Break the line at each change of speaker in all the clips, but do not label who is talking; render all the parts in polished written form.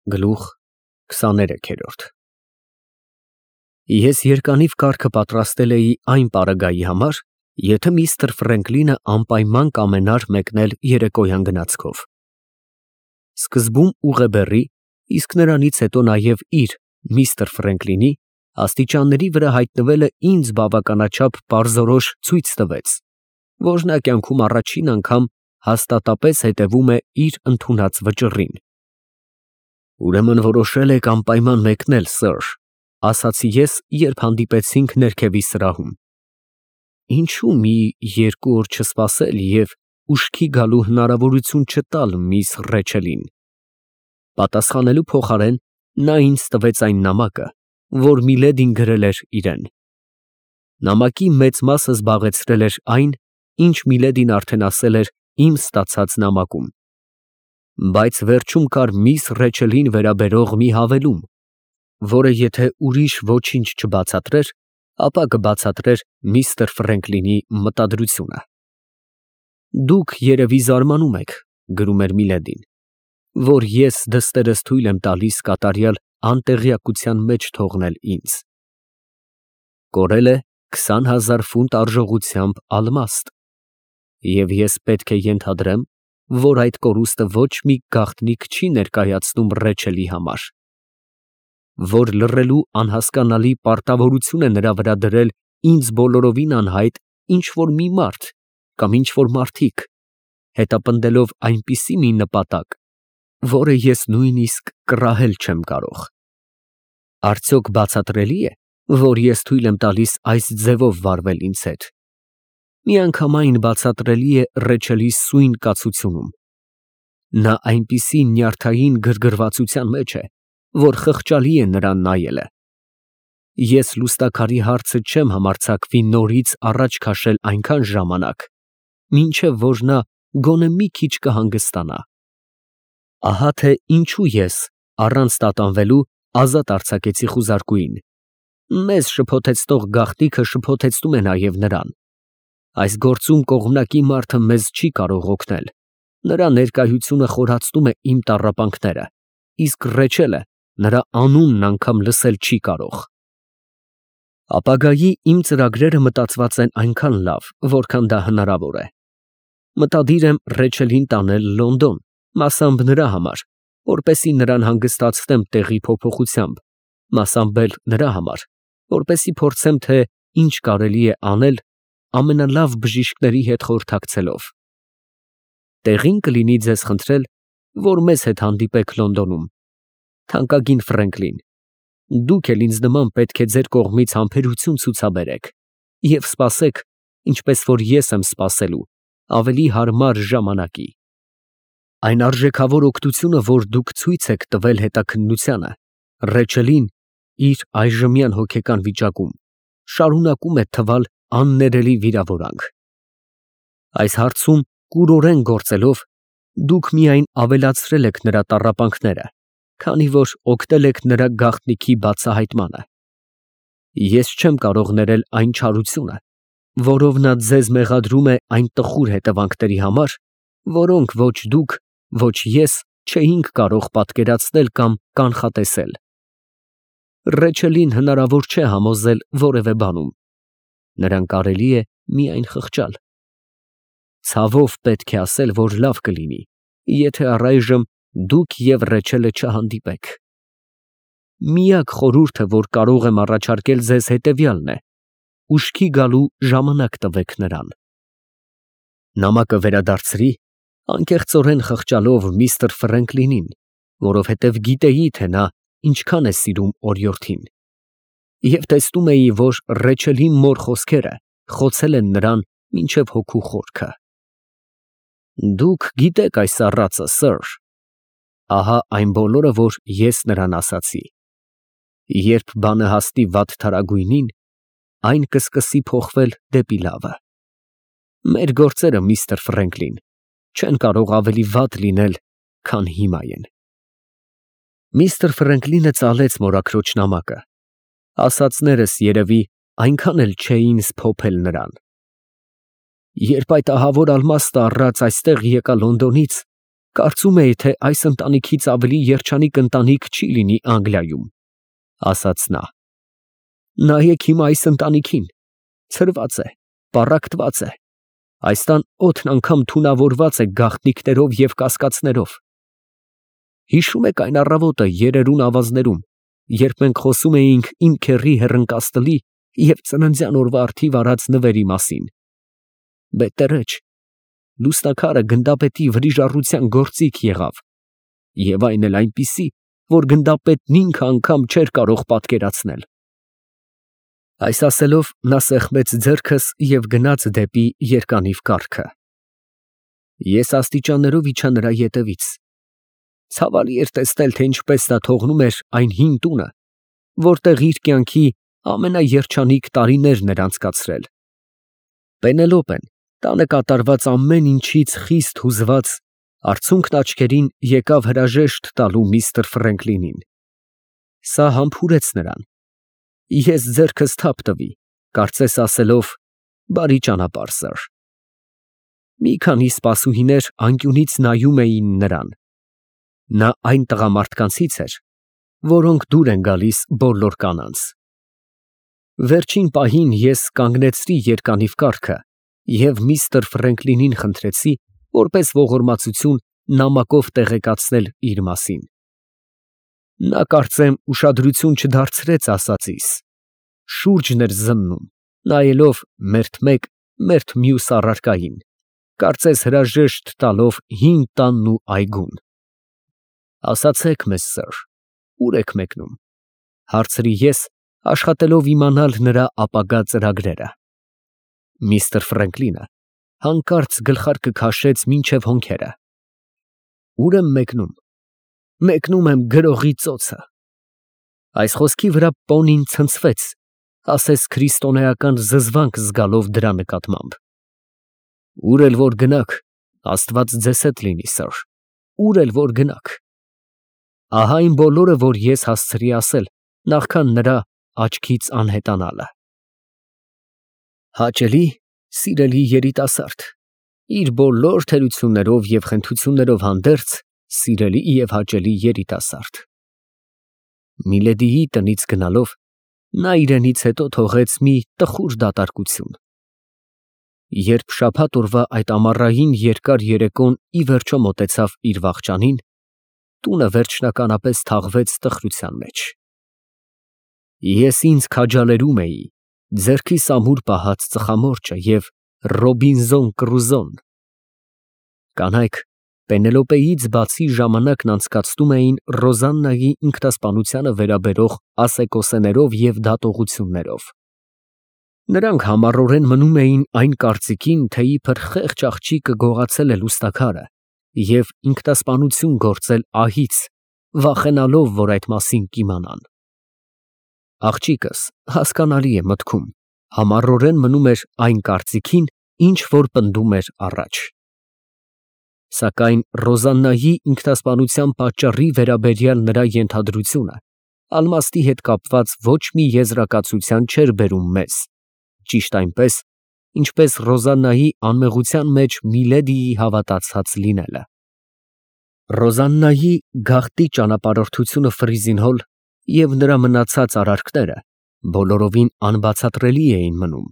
Գլուխ 23 Ես երկանիվ կարգը պատրաստել էի այն պարագայի համար, եթե միստր Ֆրենկլինը անպայման կամենար մեկնել երեկոյան գնացքով։ Սկզբում ուղեբեռի, իսկ նրանից հետո նաև իր միստր Ֆրենկլինի աստիճանների վրա հայտնվելը ինձ բավականաչափ պարզորոշ ցույց տվեց, որ նա կյանքում առաջին անգամ հաստատապես հետևում է իր ընդունած վճռին։ Ուրեմն որոշել եք անպայման մեկնել, սըր, ասացի ես, երբ հանդիպեցինք ներքևի սրահում։ Ինչու՞ մի 2 օր չսպասել և ուշքի գալու հնարավորություն չտալ միss Ռեչելին։ Պատասխանելու փոխարեն նա ինձ տվեց այն նամակը, որ Միլեդին գրել էր իրեն։ Նամակի մեծ մասը զբաղեցրել էր այն, ինչ Միլեդին արդեն ասել էր իմ ստացած նամակում, բայց վերջում կար միss Ռեչելին վերաբերող մի հավելում, որը եթե ուրիշ ոչինչ չբացատրեր, ապա կբացատրեր միստր Ֆրենկլինի մտադրությունը։ Դուք երևի զարմանում եք, գրում էր Միլեդին, որ ես դստերս թույլ եմ տալիս կատարյալ անտեղյակության մեջ թողնել ինձ։ Կորել է 20,000 ֆունտ արժողությամբ ալմաստ, և ես պետք է ենթադրեմ, որ այդ կորուստը ոչ մի գաղտնիք չի ներկայացնում Ռեչելի համար, որ լռելու անհասկանալի պարտավորություն է նրա վրա դրել ինձ բոլորովին անհայտ ինչ֊որ մի մարդ կամ ինչ֊որ մարդիկ, հետապնդելով այնպիսի մի նպատակ, որը ես նույնիսկ կռահել չեմ կարող։ Արդյոք բացատրելի է, որ ես թույլ եմ տալիս այս ձևով վարվել ինձ հետ։ Միանգամայն բացատրելի է Ռեչելի սույն կացությունում։ Նա այնպիսի նյարդային գրգռվածության մեջ է, որ խղճալի է նրան նայելը։ Ես լուստաքարի հարցը չեմ համարձակվի նորից առաջ քաշել այնքան ժամանակ, մինչև որ նա գոնե մի քիչ կհանգստանա։ Ահա թե ինչու ես, առանց տատանվելու, ազատ արձակեցի խուզարկուին։ Մեզ շփոթեցնող գաղտնիքը շփոթեցնում է նաև նրան։ Այս գործում կողմնակի մարդը մեզ չի կարող օգնել, նրա ներկայությունը խորացնում է իմ տառապանքները, իսկ Ռեչելը նրա անունն անգամ լսել չի կարող։ Ապագայի իմ ծրագրերը մտածված են այնքան լավ, որքան դա հնարավոր է։ Մտադիր եմ Ռեչելին տանել Լոնդոն, մասամբ նրա համար, որպեսզի նրան հանգստացնեմ տեղի փոփոխությամբ, մասամբ էլ նրա համար, որպեսզի փորձեմ, թե ինչ կարելի է անել ամենալավ բժիշկների հետ խորհրդակցելով։ Տեղին կլինի ձեզ խնդրել, որ մեզ հետ հանդիպեք Լոնդոնում, թանկագին Ֆրենկլին, դուք էլ ինձ նման պետք է ձեր կողմից համբերություն ցուցաբերեք և սպասեք, ինչպես որ ես եմ սպասելու, ավելի հարմար ժամանակի։ Այն արժեքավոր օգնությունը, որ դուք ցույց եք տվել հետաքննությանը, Ռեչելին իր այժմյան հոգեկան վիճակում շարունակում է թվալ աններելի վիրավորանք։ Այս հարցում կուրորեն գործելով, դուք միայն ավելացրել եք նրա տառապանքները, քանի որ օգնել եք նրա գաղտնիքի բացահայտմանը։ Ես չեմ կարող ներել այն չարությունը, որով նա ձեզ մեղադրում է այն տխուր հետևանքների համար, որոնք ոչ դուք, ոչ ես չէինք կարող պատկերացնել կամ կանխատեսել։ Ռեչելին հնարավոր չէ համոզել որևէ բանում, նրան կարելի է միայն խղճալ։ Ցավով պետք է ասել, որ լավ կլինի, եթե առայժմ դուք և Ռեչելը չհանդիպեք։ Միակ խորհուրդը, որ կարող եմ առաջարկել ձեզ, հետևյալն է. ուշքի գալու ժամանակ տվեք նրան։ Նամակը վերադարձրի, անկեղծորեն խղճալով միստր Ֆրենկլինին, որովհետև գիտեի, թե նա ինչքան է սիրում օրիորդին, և տեսնում էի, որ Ռեչելի մոր խոսքերը խոցել են նրան մինչև հոգու խորքը։ Դուք գիտեք այս առածը, սըր։ Ահա այն բոլորը, որ ես նրան ասացի։ Երբ բանը հասնի վատթարագույնին, այն կսկսի փոխվել դեպի լավը։ Մեր գործերը, միստր Ֆրենկլին, չեն կարող ավելի վատ լինել, քան հիմա են։ Միստր Ֆրենկլինը ծալեց մորաքրոջ նամակը, ասածներս երևի այնքան էլ չէին սփոփել նրան։ Երբ այդ ահավոր ալմաստը առած այստեղ եկա Լոնդոնից, Կարծում էի, թե այս ընտանիքից ավելի երջանիկ ընտանիք չի լինի Անգլիայում, ասաց նա։ Նայեք հիմա այս ընտանիքին, ցրված է, պառակտված է, այս տան օդն անգամ թունավորված է գաղտնիքներով և կասկածներով։ Հիշում եք այն առավոտը երերուն ավազներում, երբ մենք խոսում էինք իմ քեռի հեռընկաստլի և ծննդյան օրվա առթիվ արած նվերի մասին։ Բետերեջ, լուսնաքարը գնդապետի վրիժառության գործիք եղավ, և այն էլ այնպիսի, որ գնդապետն ինքը անգամ չէր կարող պատկերացնել։ Այս ասելով նա սեղմեց ձեռքս և գնաց դեպի երկանիվ կառքը։ Ես աստիճաններով իջա նրա ետևից։ Ցավալի էր տեսնել, թե ինչպես նա թողնում էր այն հին տունը, որտեղ իր կյանքի ամենաերջանիկ տարիներն էր անցկացրել։ Պենելոպեն, տանը կատարված ամեն ինչից խիստ հուզված, արցունքն աչքերին եկավ հրաժեշտ տալու միստր Ֆրենկլինին։ Սա համբուրեց նրան։ Ես ձեռքս թափ տվի, կարծես ասելով. «Բարի ճանապարհ, սըր»։ Մի քանի սպասուհիներ անկյունից նայում էին նրան։ Նա այն տղամարդկանցից էր, որոնք դուր են գալիս բոլոր կանանց։ Վերջին պահին ես կանգնեցրի երկանիվ կառքը և միստր Ֆրենկլինին խնդրեցի, որպես ողորմածություն, նամակով տեղեկացնել իր մասին։ Նա, կարծեմ, ուշադրություն չդարձրեց ասածիս, շուրջն էր զննում, նայելով մերթ մեկ, մերթ մյուս առարկային, կարծես հրաժեշտ տալով հին տանն ու այգուն։ Ասացեք մեզ, սըր, ո՞ւր եք մեկնում, հարցրի ես, աշխատելով իմանալ նրա ապագա ծրագրերը։ Միստր Ֆրենկլինը հանկարծ գլխարկը քաշեց մինչև հոնքերը։ Ո՞ւր եմ մեկնում։ Մեկնում եմ գրողի ծոցը։ Այս խոսքի վրա պոնին ցնցվեց, ասես քրիստոնեական զզվանք զգալով դրա նկատմամբ։ Ուր էլ որ գնաք, Աստված ձեզ հետ լինի, սըր, ուր էլ որ գնաք։ Ահա այն բոլորը, որ ես հասցրի ասել, նախքան նրա աչքից անհետանալը։ Հաճելի, սիրելի երիտասարդ, իր բոլոր թերություններով և խնդություններով հանդերձ, սիրելի և հաճելի երիտասարդ։ Միլեդիի տնից գնալով, նա իրենից հետո թողեց մի տխուր դատարկություն։ Երբ շաբաթ օրվա այդ ամառային երկար երեկոն ի վերջո մոտեցավ իր վախճանին, տունը վերջնականապես թաղվեց տխրության մեջ։ Ես ինձ քաջալերում էի ձեռքիս ամուր պահած ծխամորճը և Ռոբինզոն Կրուզոն։ Կանայք Պենելոպեից բացի ժամանակն անցկացնում էին Ռոզաննայի ինքնասպանությանը վերաբերող ասեկոսեներով և դատողություններով։ Նրանք համառորեն մնում էին այն կարծիքին, թե իբր խեղճ աղջիկը գողացել է լուսնաքարը և ինքնասպանություն գործել ահից, վախենալով, որ այդ մասին կիմանան։ Աղջիկս, հասկանալի է մտքում, համառորեն մնում էր այն կարծիքին, ինչ որ պնդում էր առաջ։ Սակայն Ռոզաննայի ինքնասպանության պատճառի վերաբերյալ նրա ենթադրությունը ալմաստի հետ կապված ոչ մի եզրակացության չէր բերում մեզ, ճիշտ այնպես, ինչպես Ռոզաննայի անմեղության մեջ Միլեդիի հավատացած լինելը։ Ռոզաննայի գաղտնի ճանապարհորդությունը Ֆրիզինհոլ և նրա մնացած արարքները բոլորովին անբացատրելի էին մնում։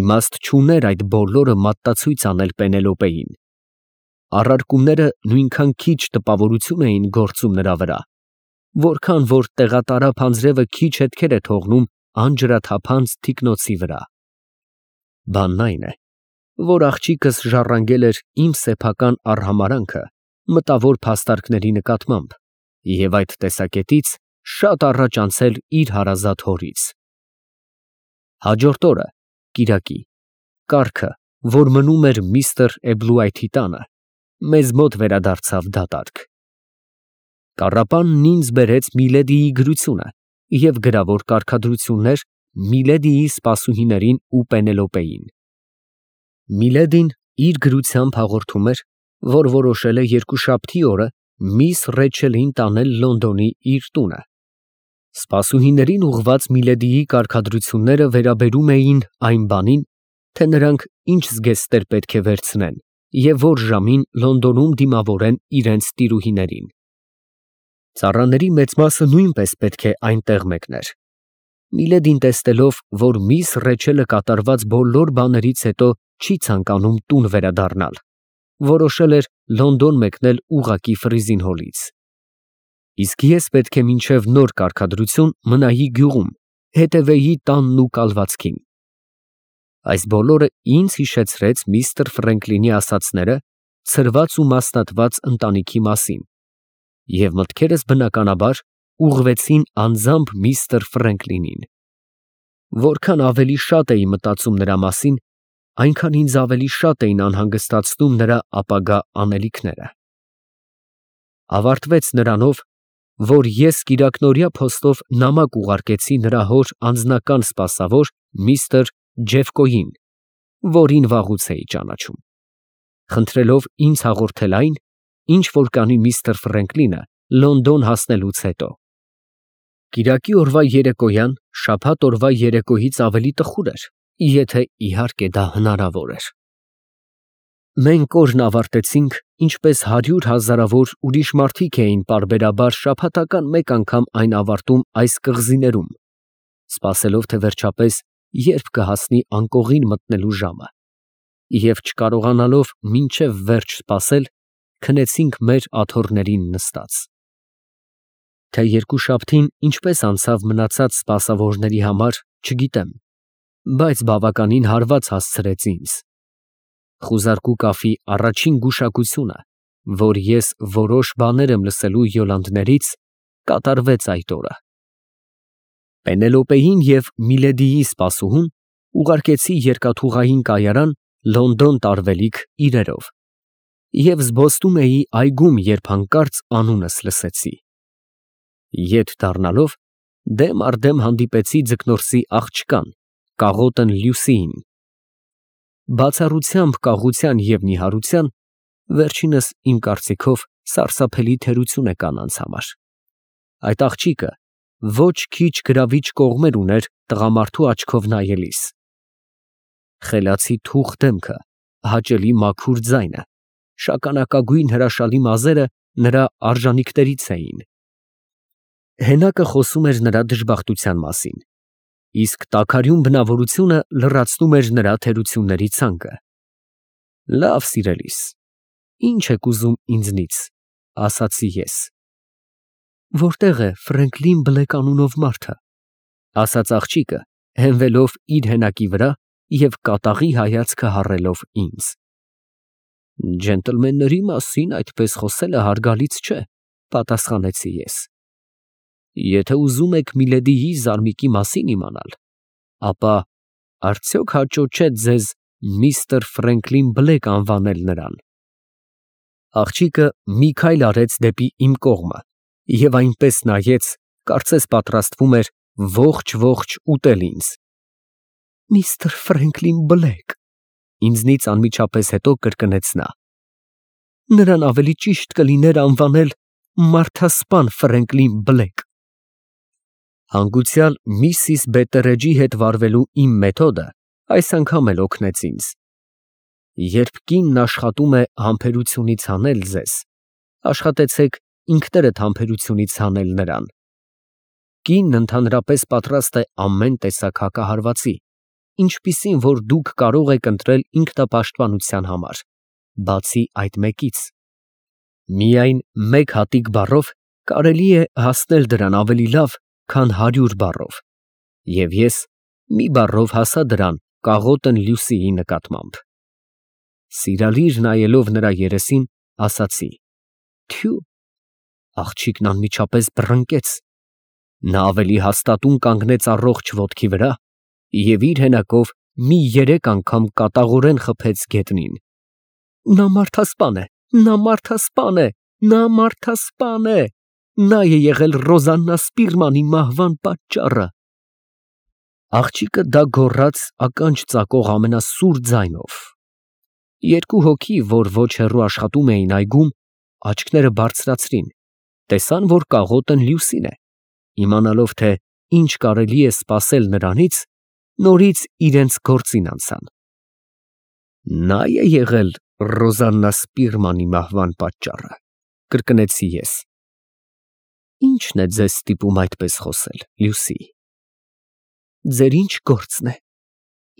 Իմաստ չուներ այդ բոլորը մատտացույց անել Պենելոպեին։ Առարկումները նույնքան քիչ տպավորություն էին գործում նրա վրա, որքան որ տեղատարափ անձրևը քիչ հետքեր է թողնում անջրաթափանց թիկնոցի վրա։ Բանն այն է, որ աղջիկս ժառանգել էր իմ սեփական արհամարհանքը մտավոր փաստարկների նկատմամբ և այդ տեսակետից շատ առաջ անցել իր հարազատ հորից։ Հաջորդ օրը, կիրակի, կառքը, որ մնում էր միստր Էբլուայթի տանը, մեզ մոտ վերադարձավ դատարկ։ Կառապանն ինձ բերեց Միլեդիի գրությունը և գրավոր կարգադրություններ Միլեդիի սպասուհիներին ու Պենելոպեին։ Միլեդին իր գրությամբ հաղորդում էր, որ որոշել է երկուշաբթի օրը միս Ռեչելին տանել Լոնդոնի իր տունը։ Սպասուհիներին ուղղված Միլեդիի կարգադրությունները վերաբերում էին այն բանին, թե նրանք ինչ զգեստներ պետք է վերցնեն և որ ժամին Լոնդոնում դիմավորեն իրենց տիրուհիներին։ Ծառաների մեծ մասը նույնպես պետք է այնտեղ մեկներ։ Միլեդին տեսնելով, որ միս Ռեչելը կատարված բոլոր բաներից հետո չի ցանկանում տուն վերադառնալ, որոշել էր Լոնդոն մեկնել ուղղակի Ֆրիզինհոլից։ Իսկ ես պետք է մինչև նոր կարգադրություն մնայի գյուղում, հետևեի տանն ու կալվածքին։ Այս բոլորը ինձ հիշեցրեց միստր Ֆրենկլինի ասածները ցրված ու մասնատված ընտանիքի մասին, և մտքերս բնականաբար ուղղվեցին անձամբ միստր Ֆրենկլինին։ Որքան ավելի շատ էի մտածում նրա մասին, այնքան ինձ ավելի շատ էին անհանգստացնում նրա ապագա անելիքները։ Ավարտվեց նրանով, որ ես կիրակնօրյա փոստով նամակ ուղարկեցի նրա հոր անձնական սպասավոր միստր Ջեֆկոյին, որին վաղուց էի ճանաչում, խնդրելով ինձ հաղորդել այն, ինչ որ կանի միստր Ֆրենկլինը Լոնդոն հասնելուց հետո։ Կիրակի օրվա երեկոյան շաբաթ օրվա երեկոյից ավելի տխուր էր, եթե իհարկե դա հնարավոր էր։ Մենք օրն ավարտեցինք, ինչպես 100 հազարավոր ուրիշ մարդիկ էին պարբերաբար շաբաթական մեկ անգամ այն ավարտում այս կղզիներում, սպասելով թե վերջապես երբ կհասնի անկողին մտնելու ժամը, և չկարողանալով մինչև վերջ սպասել, քնեցինք մեր աթոռներին նստած։ Թե երկուշաբթին ինչպես անցավ մնացած սպասավորների համար, չգիտեմ, բայց բավականին հարված հասցրեց ինձ։ Խուզարկու կաֆի առաջին գուշակությունը, որ ես որոշ բաներ եմ լսելու Յոլանդներից, կատարվեց այդ օրը։ Պենելոպեին և Միլեդիի սպասուհուն ուղարկեցի երկաթուղային կայարան Լոնդոն տարվելիք իրերով, և զբոսնում էի այգում, երբ հանկարծ անունս լսեցի։ Ետ դառնալով, դեմ առ դեմ հանդիպեցի ձկնորսի աղջկան, կաղոտն Լյուսիին։ Բացառությամբ կաղության և նիհարության, վերջինս իմ կարծիքով սարսափելի թերություն է կանանց համար։ Այդ աղջիկը ոչ քիչ գրավիչ կողմեր ուներ տղամարդու աչքով նայելիս։ Խելացի թուխ դեմքը, հաճելի մաքուր ձայնը, շագանակագույն հրաշալի մազերը նրա արժանիքներից էին։ Հենակը խոսում էր նրա դժբախտության մասին, իսկ տաքարյուն բնավորությունը լրացնում էր նրա թերությունների ցանկը։ Լավ, սիրելիս, ի՞նչ եք ուզում ինձնից, ասացի ես։ Որտե՞ղ է Ֆրենկլին Բլեք անունով մարդը, ասաց աղջիկը, հենվելով իր հենակի վրա և կատաղի հայացքը հառելով ինձ։ Ջենտլմենների մասին այդպես խոսելը հարգալից չէ, պատասխանեցի ես։ Եթե ուզում եք Միլեդիի զարմիկի մասին իմանալ, ապա արդյոք հաճո չէ ձեզ միստր Ֆրենկլին Բլեք անվանել նրան։ Աղջիկը մի քայլ արեց դեպի իմ կողմը և այնպես նայեց, կարծես պատրաստվում էր ողջ ուտել ինձ։ Միստր Ֆրենկլին Բլեք, ինձնից անմիջապես հետո կրկնեց նա։ Նրան ավելի ճիշտ կլիներ անվանել մարդասպան Ֆրենկլին Բլեք։ Հանգուցյալ Միսիս Բետտերեջի հետ վարվելու իմ մեթոդը այս անգամ էլ օգնեց ինձ։ Երբ կինն աշխատում է համբերությունից հանել ձեզ, աշխատեցեք ինքներդ համբերությունից հանել նրան։ Կինն ընդհանրապես պատրաստ է ամեն տեսակ հակահարվածի, ինչպիսին որ դուք կարող եք ընտրել ինքնապաշտպանության համար, բացի այդ մեկից։ Միայն մեկ հատիկ բառով կարելի է հասնել դրան ավելի լավ, քան 100 բառով, և ես մի բառով հասա դրան կաղոտն Լյուսիի նկատմամբ։ Սիրալիր նայելով նրա երեսին, ասացի. Թյու, աղջիկն անմիջապես բռնկեց։ Նա ավելի հաստատուն կանգնեց առողջ ոտքի վրա և իր հենակով մի 3 անգամ կատաղորեն խփեց գետնին։ Նա մարդասպան է, նա մարդասպան է, նա մարդասպան է, նա է եղել Ռոզաննա Սպիրմանի մահվան պատճառը։ Աղջիկը դա գոռաց ականջ ծակող ամենասուր ձայնով։ Երկու հոգի, որ ոչ հեռու աշխատում էին այգում, աչքները բարձրացրին, տեսան, որ կաղոտն Լյուսին է, իմանալով, թե ինչ կարելի է սպասել նրանից, նորից իրենց գործին անցան։ Նա է եղել Ռոզաննա Սպիրմանի մահվան պատճառը, կրկնեցի ես։ Ի՞նչն է ձեզ ստիպում այդպես խոսել, Լյուսի։ Ձեր ինչ գործն է։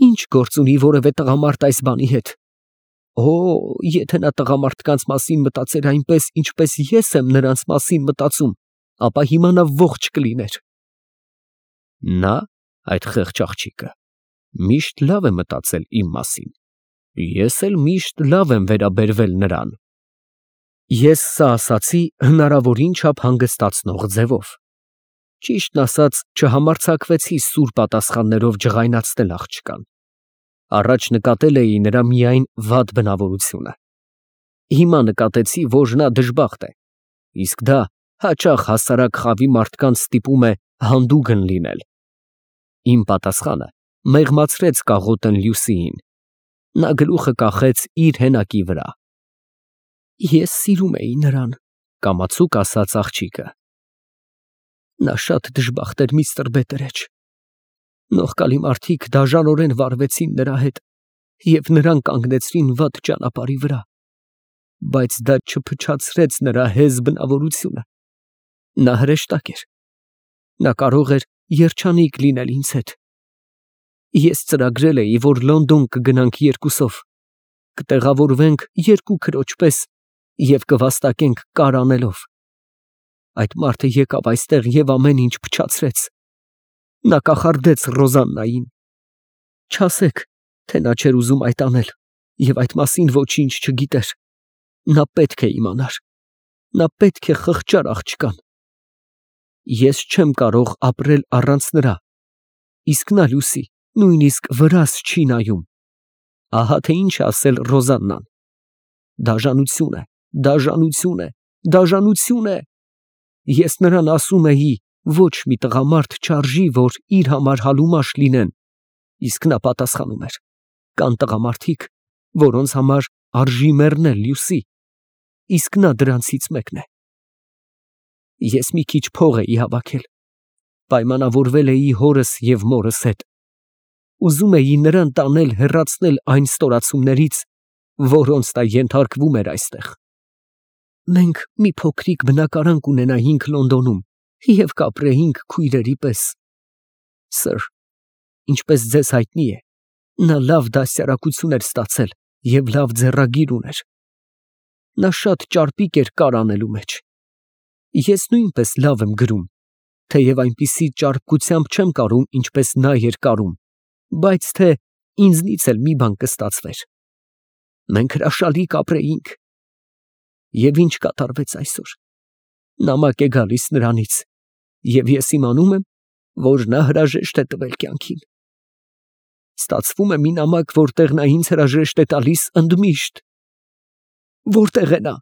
Ինչ գործ ունի որևէ տղամարդ այս բանի հետ։ Օ, եթե նա տղամարդկանց մասին մտածեր այնպես, ինչպես ես եմ նրանց մասին մտածում, ապա հիմա նա ողջ կլիներ։ Նա, այդ խեղճ աղջիկը, միշտ լավ է մտածել իմ մասին։ Ես էլ միշտ լավ եմ վերաբերվել նրան։ Ես սա ասացի հնարավորին չափ հանգստացնող ձևով։ Ճիշտն ասած, չհամարձակվեցի սուր պատասխաններով ջղայնացնել աղջկան։ Առաջ նկատել էի նրա միայն վատ բնավորությունը։ Հիմա նկատեցի, որ նա դժբախտ է, իսկ դա հաճախ հասարակ խավի մարդկանց ստիպում է հանդուգն լինել։ Իմ պատասխանը մեղմացրեց կաղոտն Լյուսիին։ Նա գլուխը կախեց իր հենակի վրա։ Ես սիրում էի նրան, կամացուկ ասաց աղջիկը։ Նա շատ դժբախտ էր, միստր Բետերեջ։ Նողկալի մարդիկ դաժանորեն վարվեցին նրա հետ և նրան կանգնեցրին վատ ճանապարհի վրա, բայց դա չփչացրեց նրա հեզ բնավորությունը։ Նա հրեշտակ էր։ Նա կարող էր երջանիկ լինել ինձ հետ։ Ես ծրագրել էի, որ Լոնդոն կգնանք երկուսով, կտեղավորվենք երկու քրոջ պես և կվաստակենք կար անելով։ Այդ մարդը եկավ այստեղ և ամեն ինչ փչացրեց։ Նա կախարդեց Ռոզաննային։ Չասեք, թե նա չէր ուզում այդ անել և այդ մասին ոչինչ չգիտեր։ Նա պետք է իմանար։ Նա պետք է խղճար աղջկան։ Ես չեմ կարող ապրել առանց նրա, իսկ նա, Լյուսի, նույնիսկ վրաս չի նայում։ Ահա թե ինչ է ասել Ռոզաննան. դաժանություն է, դաժանություն է, դաժանություն է։ Ես նրան ասում էի, ոչ մի տղամարդ չարժի, որ իր համար հալումաշ լինեն, իսկ նա պատասխանում էր. կան տղամարդիկ, որոնց համար արժի մեռնել, Լյուսի, իսկ նա դրանցից մեկն է։ Ես մի քիչ փող էի հավաքել, պայմանավորվել էի հորս և մորս հետ։ Ուզում էի նրան տանել հեռացնել այն ստորացումներից, որոնց նա ենթարկվում էր այստեղ։ Մենք մի փոքրիկ բնակարան կունենայինք Լոնդոնում և կապրեինք քույրերի պես։ Սըր, ինչպես ձեզ հայտնի է, նա լավ դաստիարակություն էր ստացել և լավ ձեռագիր ուներ։ Նա շատ ճարպիկ էր կար անելու մեջ։ Ես նույնպես լավ եմ գրում, թեև այնպիսի ճարպկությամբ չեմ կարում, ինչպես նա էր կարում, բայց թե ինձնից էլ մի բան կստացվեր։ Մենք հրաշալի կապրեինք։ Եվ ինչ կատարվեց այսօր։ Նամակ է գալիս նրանից, և ես իմանում եմ, որ նա հրաժեշտ է տվել կյանքին։ Ստացվում է մի նամակ, որտեղ նա ինձ հրաժեշտ է տալիս ընդմիշտ։ Որտե՞ղ է նա։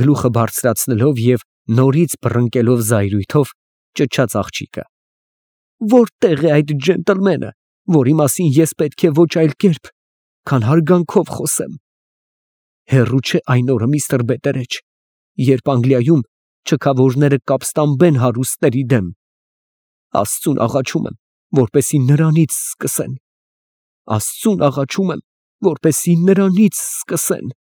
Գլուխը բարձրացնելով և նորից բռնկելով զայրույթով ճչաց աղջիկը։ Որտե՞ղ է այդ ջենտլմենը, որի մասին ես պետք է ոչ այլ կերպ, քան հարգանքով խոսեմ։ Հեռու չէ այն օրը, միստր Բետերեջ, երբ Անգլիայում չքավորները կապստամբեն հարուստների դեմ։ Աստծուն աղաչում եմ, որպեսզի նրանից սկսեն։ Աստծուն աղաչում եմ, որպեսզի նրանից սկսեն։